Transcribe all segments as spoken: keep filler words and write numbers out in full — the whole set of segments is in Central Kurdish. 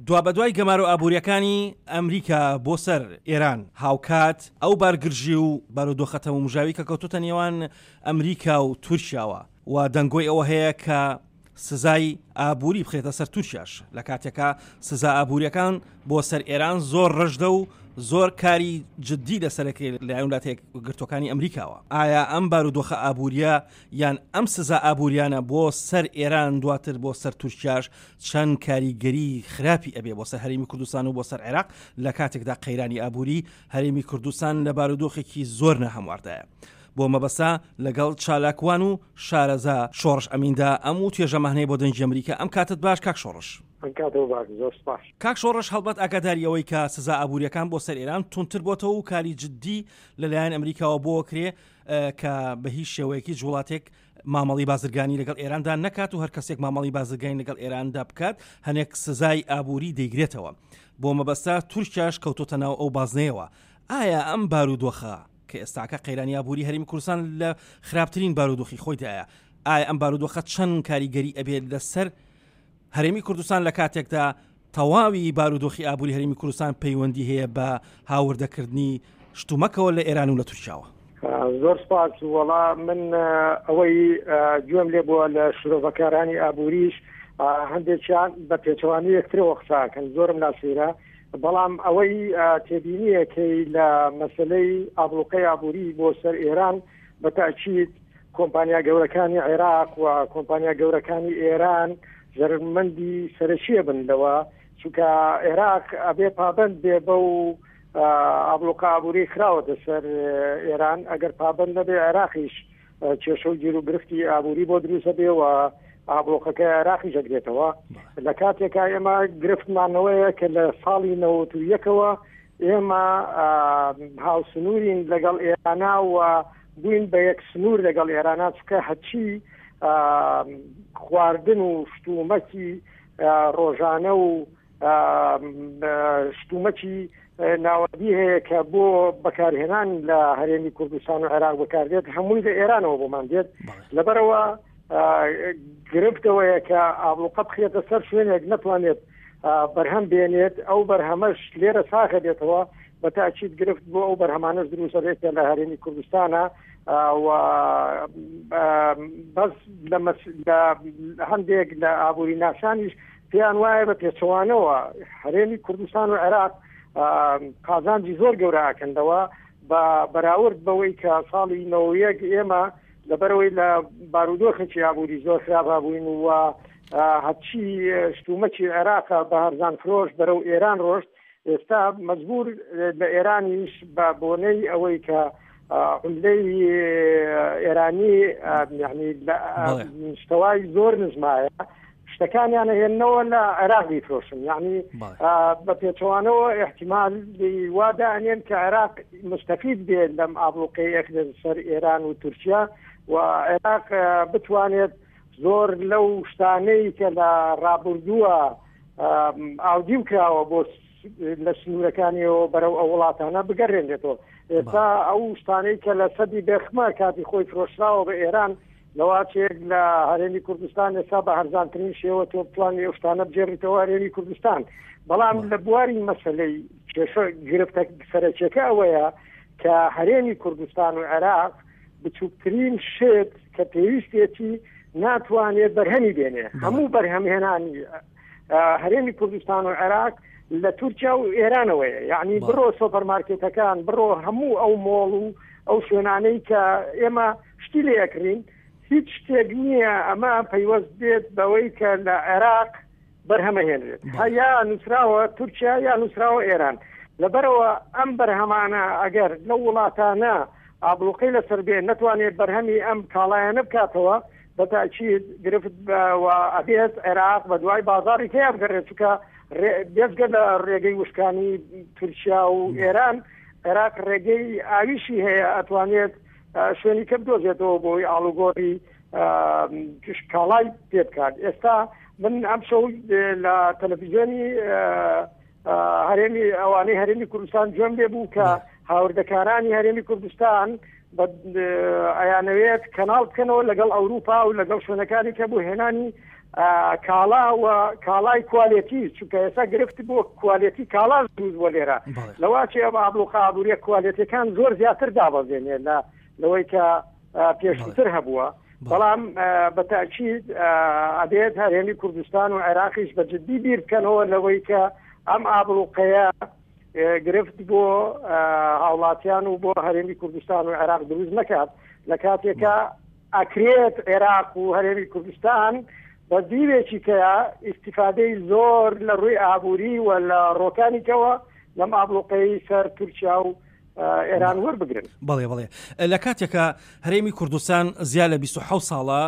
دوابەدوای گەمارۆ ئابووریەکانی ئەمریکا بۆ سەر ئێران، هاوکات ئەو بارگرژی و بارودۆخە تەمومژاوی کە کەوتوتە نێوان ئەمریکا و تورکیاوە و دەنگۆی ئەوە هەیە کە سزای ئابووری بخرێتە سەر تورکیاش، لە کاتێکا سزا ئابووریەکان بۆ سەر ئێران زۆر ڕژدە و زۆر کاری جدی لەسەرەکەی لەلایەن وڵاتە یەکگرتووەکانی ئەمریکاوە. ئایا ئەم بارودۆخە ئابووریە یان ئەم سزا ئابووریانە بۆ سەر ئێران دواتر بۆ سەر تورکیاش چەند کاریگەری خراپی ئەبێ بۆ سەر هەرێمی کوردستان و بۆ سەر عێراق لە کاتێکدا قەیرانی ئابووری هەرێمی کوردستان لە بارودۆخێکی زۆر ناهەمواردایە؟ بۆ مەبەسا لەگەڵ چالاکوان و شارەزا شۆڕش ئەمیندا ئەم و توێژەمانەیە بۆ دەنگی ئەمریکا. ئەم کاتت باش کاک شۆڕش. کاک شۆڕش، هەڵبەت ئاگاداری ئەوەی کە سزا ئابووریەکان بۆ سەر ئێران توندتر بۆتەوە و کاری جدی لەلایەن ئەمریکاوە بۆ کرێ کە بە هیچ شێوەیەکی وڵاتێک مامەڵی بازرگانی لەگەڵ ئێراندا نەکات و هەر کەسێک مامەڵی بازرگانی لەگەڵ ئێراندا بکات هەنێک سزای ئابووری دەیگرێتەوە. بۆ مەبەستا تورکیاش کەوتۆتە ناو ئەو بازنەیەوە. ئایا ئەم بارودۆخە کە ئێستاکە قەیرانی ئابووری هەرێمی کوردستان لە خراپترین بارودۆخی خۆیدایە، ئایا ئەم بارودۆخە چەند کاریگەری ئەبێت لەسەر هەرێمی کوردستان لە کاتێکدا تەواوی بارودۆخی ئابووری هەرێمی کوردستان پەیوەندی هەیە بە هاوردەکردنی شتومەکەوە لە ئێران و لە تورکیاوە؟ زۆر سپاس. وەڵا من ئەوەی گوێم لێ بووە لە شرۆڤەکارانی ئابووریش هەندێکیان بە پێچەوانی یەکترەوە قساکەن، زۆرم ناسیرە، بەڵام ئەوەی تێبینیەکەی لە مەسلەی ئابلوقەی ئابووری بۆ سەر ئێران بە تاکید کۆمپانیا گەورەکانی عێراق و کۆمپانیا گەورەکانی ئێران زەرمەندی سەرەکیە بن لەوە، چونکە عێراق ئەبێ پابند بێ بەو ئابلوقە ئابووری خراوەتە سەر ئێران. ئەگەر پابند نەبێ عێراقیش کێشە و گیر و گرفتی ئابووری بۆ دروستە بێ و ئابلوقەکە عێراقیش ئەگرێتەوە. لە کاتێکا ئێمە گرفتمانەوەیە کە لە ساڵی نەوەت و یەکەوە ئێمە هاوسنوورین لەگەڵ ئێرانا و بووین بە یەک سنوور لەگەڵ ئێرانا، چونکە هەچی خواردن و شتومەکی ڕۆژانە و شتومەکی ناوەندی هەیە کە بۆ بەکارهێنان لە هەرێمی کوردستان و عێراق بەکاردێت هەمووی لە ئێرانەوە بۆمان دێت. لەبەرەوە گرفتەوەیە کە ئابلوقە بخرێتە سەر شوێنێک نەتوانێت بەرهەم بێنێت، ئەو بەرهەمەش لێرە ساغە بێتەوە، بە تاکید گرفت بۆ ئەو بەرهەمانەش دروستە بێت کە لە هەرێمی کوردستانە و بەس لە هەندێک لە ئابووری ناسانیش پێیان وایە بە پێچەوانەوە هەرێمی کوردستان و عێراق قازانجی زۆر گەورە ئاکەندەوە بە بەراورد بەوەی کە ساڵی نەوەیەک ئێمە لەبەرەوەی لە بارودۆخێکی ئابووری زۆر خراپا بووین و هەرچی شتومەکی عێراقە بە هەرزان فرۆش بەرەو ئێران ڕۆشت، ئێستا مەجبور لە ئێرانیش بە بۆنەی ئەوەی کە عملەی ئێرانی یعنی شتەوای زۆر نزمایە شتەکانیان هێننەوە لە عێراق بیفرۆشن، یعنی بە پێچەوانەوە احتیمال وا دانێن کە عێراق مستەفید بێت لەم ئابلوقەی ئەخرێت سەر ئێران و تورکیا و عێراق بتوانێت زۆر لەو شتانەی کە لە ڕابردووە ئاودیو کراوە بۆ لە سنوورەکانیەوە بەرەو ئەو وڵاتانە بگەڕێنێتەوە. ئێستا ئەو شتانەی کە لە سەدی بێخمە کاتی خۆی فرۆشراوە بە ئێران، لەواچێک لە هەرێمی کوردستان ئێستا بە هەرزانترین شێوە تۆ بتوانێت ئەو شتانە بگێڕیتەوە هەرێمی کوردستان. بەڵام لە بواری مەسلەی کێشە گرفتە سەرەکیەکە ئەوەیە کە هەرێمی کوردستان و عێراق بچووکترین شت کە پێویستێتی ناتوانێت بەرهەمی بێنێ. هەموو بەرهەمهێنانی هەرێمی کوردستان و عێراق لە تورکیا و ئێرانەوەیە، یعنی بڕۆ سۆپەرمارکێتەکان، بڕۆ هەموو ئەو مۆڵ و ئەو شوێنانەی کە ئێمە شتی لێ ئەکڕین، هیچ شتێک نییە ئەمە پەیوەست بێت بەوەی کە لە عێراق بەرهەمەهێنرێت، یا نووسراوە تورکیا یا نووسراوە ئێران. لەبەرەوە ئەم بەرهەمانە ئەگەر لەو وڵاتانە ئابلوقەی لەسەر بێ نەتوانێت بەرهەمی ئەم کاڵایانە بکاتەوە، بە تاکید گرفت ئەبێت عێراق بە دوای بازاڕی تیا بگەڕێت، چونکە بێجگە لە ڕێگەی وشکانی تورکیا و ئێران، عێراق ڕێگەی ئاویشی هەیە، ئەتوانێت شوێنی کە بدۆزێتەوە بۆی ئاڵوگۆڕی کاڵای پێ بکات. ئێستا من ئەم شەو لە تەلەڤیزیۆنی هەرێمی ئەوانەی هەرێمی کوردستان گوێم لێ بوو کە هاوردەکارانی هەرێمی کوردستان ئەیانەوێت کەناڵ بکەنەوە لەگەڵ ئەوروپا و لەگەڵ شوێنەکانی کە بۆ هێنانی کاڵا و کاڵای quality، چونکە ئێستا گرفت بۆ quality کاڵا دروست بۆ لێرە. لەواچێ ئەم ئابلوقە ئابووریە quality ەکان زۆر زیاتر دابەزێنێ لە لەوەی کە پێشتر هەبووە. بەڵام بەتاکید ئەبێت هەرێمی کوردستان و عێراقیش بە جدی بیر بکەنەوە لەوەی کە ئەم ئابلوقەیە گرفت بۆ هاوڵاتیان و بۆ هەرێمی کوردستان و عێراق دروست نەکات، لە کاتێکە ئەکرێت عێراق و هەرێمی کوردستان بە دیوێکی کە ئیستیفادەی زۆر لە ڕووی ئابووری و لە ڕۆکانیکەوە لەم ئابلوقەی سەر تورکیا و ئێران وەربگرن. بەڵێ بەڵێ لە کاتێکە هەرێمی کوردستان زیاد لە بیست و حەوت ساڵە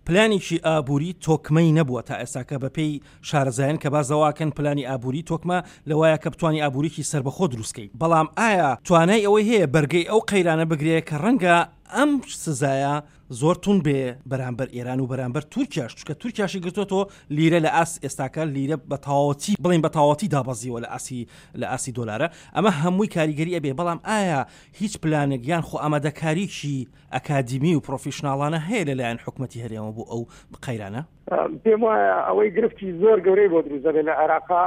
پلانێکی ئابووری تۆکمەی نەبووە تا ئێستاکە بەپێی شارەزایان کە بازەواکەن پلانی ئابووری تۆکمە لەوایە کە بتوانی ئابووریکی سربەخۆ دروستکەیت، بەڵام ئایا توانای ئەوەی هەیە بەرگەی ئەو قەیرانە بگرێت کە ڕەنگە ئەم سزایە زۆر تون بێ بەرامبەر ئێران و بەرامبەر تورکیاش، چونکە تورکیاشی گرتووەتەوە لیرە لە ئاست ئێستاکە لیرە بە تەواوەتی بڵێن بە تەواوەتی دابەزیوە لە ئاسی لە ئاسی دۆلارە، ئەمە هەمووی کاریگەری ئەبێ. بەڵام ئایا هیچ پلانێک یان خۆ ئامادەکاریکی ئەکادیمی و professional انە هەیە لەلایەن حکوومەتی هەرێمەوە بۆ ئەو قەیرانە؟ پێم وایە ئەوەی گرفتی زۆر گەورەی بۆ دروست دەبێت لە عێراقا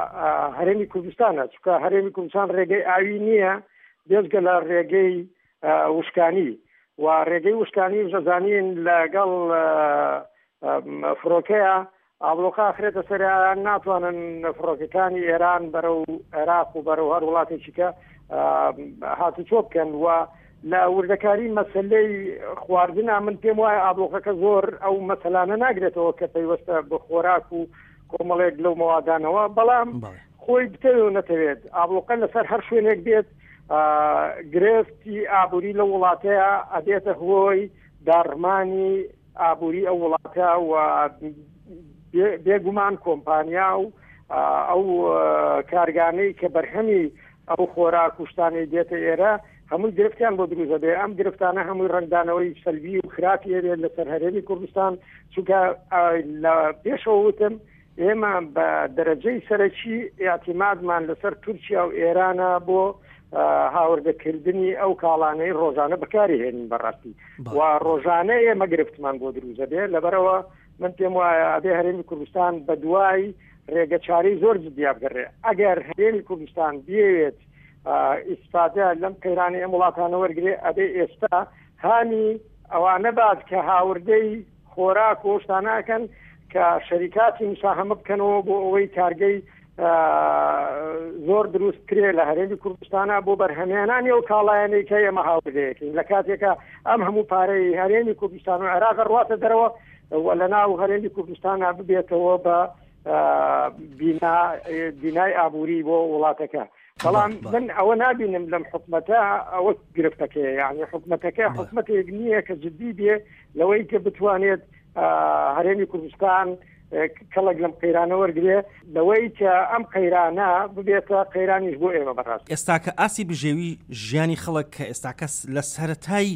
هەرێمی کوردستانە، چونکە هەرێمی کوردستان ڕێگەی ئاوی نییە بێجگە لە ڕێگەی وشکانی و ڕێگەی وشکانی ژەزانین لەگەڵ فڕۆکەیە ئابلۆقە ئاخرێتە سەر، ناتوانن فڕۆکەکانی ئێران بەرەو عێراق و بەرەو هەر وڵاتێکی کە هاتوچۆ بکەن. و لە وردەکاری مەسلەی خواردنە من پێم وایە ئابلۆقەکە زۆر ئەو مەسەلانە ناگرێتەوە کە پەیوەستە بە خۆراک و کۆمەڵێک لەو مەوادانەوە، بەڵام خۆی بتەوێت و نەتەوێت ئابلۆقە لەسەر هەر شوێنێک بێت گرفتی ئابووری لە وڵاتەیە ئەبێتە هۆی داڕمانی ئابووری ئەو وڵاتە و بێگومان کۆمپانیا و ئەو کارگانەی کە بەرهەمی ئەو خۆراک و شتانەی دێتە ئێرە هەمووی گرفتیان بۆ دروست دەبێت. ئەم گرفتانە هەمووی ڕەنگدانەوەی سەلبی و خراپی هەبێت لەسەر هەرێمی کوردستان، چونکە لە پێشەوە وتم ئێمە بە دەرەجەی سەرەکی ئیعتیمادمان لەسەر تورکیا و ئێرانە بۆ هاوردەکردنی ئەو کاڵانەی ڕۆژانە بەکاری هێنین بەڕاستی و ڕۆژانە ئێمە گرفتمان بۆ دروست دەبێت. لەبەرەوە من پێم وایە ئەبێ هەرێمی کوردستان بە دوای ڕێگەچارەی زۆر جدیا بگەڕێ. ئەگەر هەرێمی کوردستان بیەوێت ئیسفادە لەم قەیرانەی ئەم وڵاتانە وەرگێ، ئەبێ ئێستا هانی ئەوانە بات کە هاوردەی خۆراک و شتانەکەن کە شەریکاتی مساهەمە بکەنەوە بۆ ئەوەی کارگەی زۆر دروست کرێ لە هەرێمی کوردستانە بۆ بەرهەمێنانی ئەو کاڵایانەی کە ئێمە هاوردەیەکەین. لە کاتێکە ئەم هەموو پارەی هەرێمی کوردستان و عێراق ڕواتە دەرەوە و لە ناو هەرێمی کوردستانە ببێتەوە بە بینای ئابووری بۆ وڵاتەکە. بەڵام من ئەوە نابینم لەم حکومەتە ئەوە گرفتەکەیە، یعنی حکومەتەکە حکومەتێک نییە کە جدی بێ لەوەی کە بتوانێت هەرێمی کوردستان کەڵک لەم قەیرانە وەرگێ، لەوەی کە ئەم قەیرانە ببێتە قەیرانیش بۆ ئێمە بەڕاست. ئێستاکە ئاسی بژێوی ژیانی خەڵک کە ئێستاکە لە سەرەتای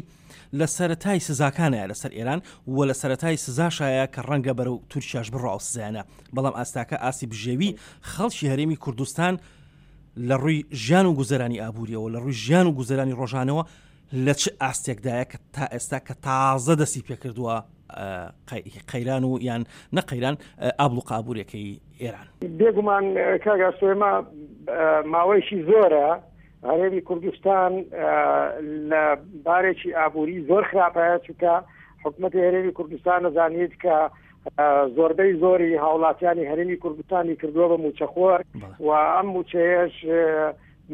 لە سەرەتای سزاکانەیە لەسەر ئێران و لە سەرەتای سزاشایە کە ڕەنگە بەرەو تورکیاش بڕۆ ئەو سزایانە، بەڵام ئاستاکە ئاسی بژێوی خەڵکی هەرێمی کوردستان لە ڕووی ژیان و گوزەرانی ئابووریەوە، لە ڕووی ژیان و گوزەرانی ڕۆژانەوە لە چ ئاستێکدایە کە تا ئێستا کە تازە دەستی پێکردووە قەیران و یان نەقەیران ئابلوقە ئابووریەکەی ئێران؟ بێگومان کاک ئاسۆ ماوەیەکی زۆرە هەرێمی کوردستان لە بارێکی ئابووری زۆر خراپەیە، چونکە حکوومەتی هەرێمی کوردستان نەزانیت کە زۆربەی زۆری هاوڵاتیانی هەرێمی کوردستانی کردووە بە موچەخۆر و ئەم موچەیەش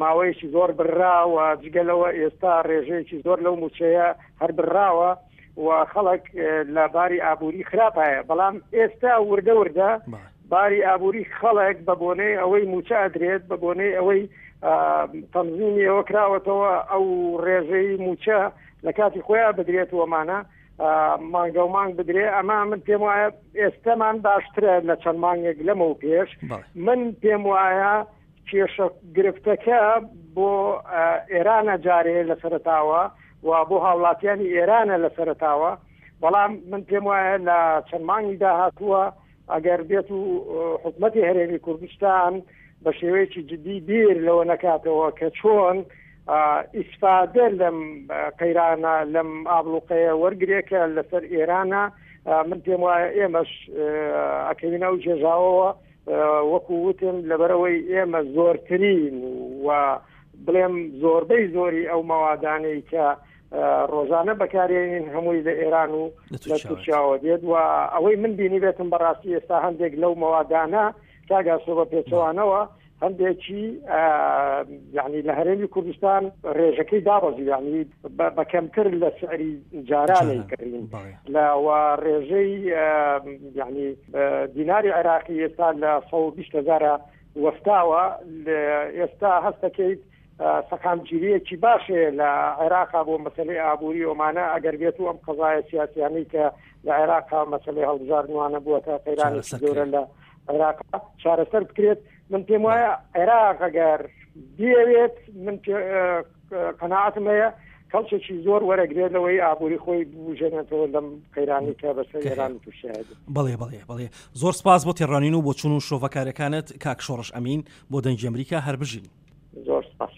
ماوەیەکی زۆر بڕاوە، جگەلەوە ئێستا ڕێژەیەکی زۆر لەو موچەیە هەر بڕاوە و خەڵک لە باری ئابووری خراپایە. بەڵام ئێستا وردە وردە باری ئابووری خەڵک بە بۆنەی ئەوەی موچە ئەدرێت، بە بۆنەی ئەوەی تەنزیمی ئەوە کراوەتەوە ئەو ڕێژەی موچە لە کاتی خۆیان بدرێتەوەمانە مانگە و مانگ بدرێ، ئەمە من پێم وایە ئێستەمان باشترە لە چەند مانگێک لەمەو پێش. من پێم وایە کێشە گرفتەکە بۆ ئێرانە جارێ لە سەرەتاوە و بۆ هاوڵاتیانی ئێرانە لە سەرەتاوە، بەڵام من پێم وایە لە چەند مانگی داهاتووە ئەگەر بێت و حکوومەتی هەرێمی کوردستان بە شێوەیەکی جدی بیر لەوە نەکاتەوە کە چۆن ئیسفادە لەم قەیرانە لەم ئابلوقەیە وەرگێکە لەسەر ئێرانە، من پێم وایە ئێمەش ئەکەوینە ئەو جێژاوەوە وەکو وتم لەبەرەوەی ئێمە زۆرترین و بڵێم زۆربەی زۆری ئەو مەوادانەی کە ڕۆژانە بەکارێنین هەمووی لە ئێران و لە تورکیاوە دێت و ئەوەی من بینی بێتم بەڕاستی ئێستا هەندێک لەو مەوادانە کاگاسۆ بە پێچەوانەوە هەندێکی یعنی لە هەرێمی کوردستان ڕێژەکەی دابەزی، یعنی بە کەمتر لە سعری جارانەی کڕین لە ڕێژەی یعنی دیناری عێراقی ئێستا لە سەد و بیست هەزارە وەستاوە. ئێستا هەستەکەیت سەقامگیریەکی باشەیە لە عێراقا بۆ مەسلەی ئابووری ئۆمانە، ئەگەر بێت و ئەم قەزایە سیاسیانەی کە لە عێراقا مەسلەی هەڵبژاردنوانە بووەتە قەیرانێکی گەورە لە عێراقا چارەسەر بکرێت. من پێم وایە عێراق ئەگەر بیەوێت، من قەناعەتم هەیە کەڵکێکی زۆر وەرەگرێت لەوەی ئابووری خۆی بژێنێتەوە لەم قەیرانی کە بەسەر ئێران تووشیایە. بەڵێ بەڵێ بەڵێ، زۆر سپاس بۆ تێڕوانین و بۆ چون و شۆڤەکارەکانت کاک شۆڕش ئەمین بۆ دەنگی ئەمریکا. هەر بژین. زۆر سپاس.